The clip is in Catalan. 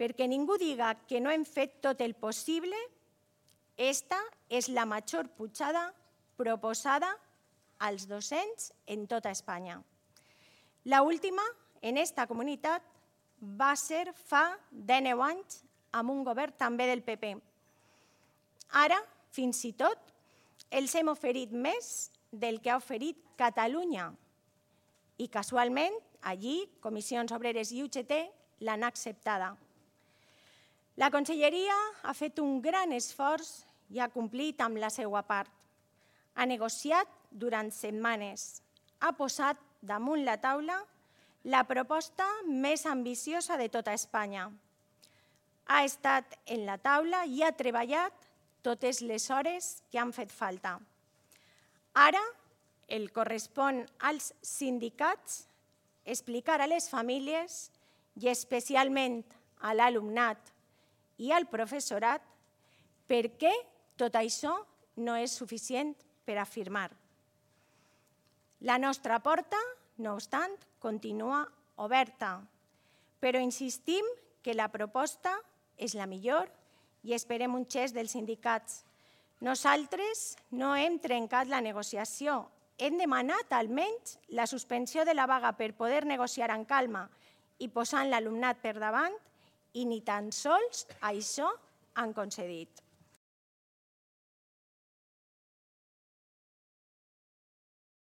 perquè ningú diga que no hem fet tot el possible, esta és la major pujada proposada als docents en tota Espanya. L'última, en esta comunitat, va ser fa 19 anys amb un govern també del PP. Ara, fins i tot, els hem oferit més del que ha oferit Catalunya. I casualment, allí, Comissions Obreres i UGT l'han acceptada. La Conselleria ha fet un gran esforç i ha complit amb la seva part. Ha negociat durant setmanes. Ha posat damunt la taula la proposta més ambiciosa de tota Espanya. Ha estat en la taula i ha treballat totes les hores que han fet falta. Ara el correspon als sindicats explicar a les famílies i especialment a l'alumnat i al professorat per què tot això no és suficient per afirmar. La nostra porta, no obstant, continua oberta, però insistim que la proposta és la millor i esperem un gest dels sindicats. Nosaltres no hem trencat la negociació, hem demanat almenys la suspensió de la vaga per poder negociar amb calma i posant l'alumnat per davant i ni tan sols això han concedit.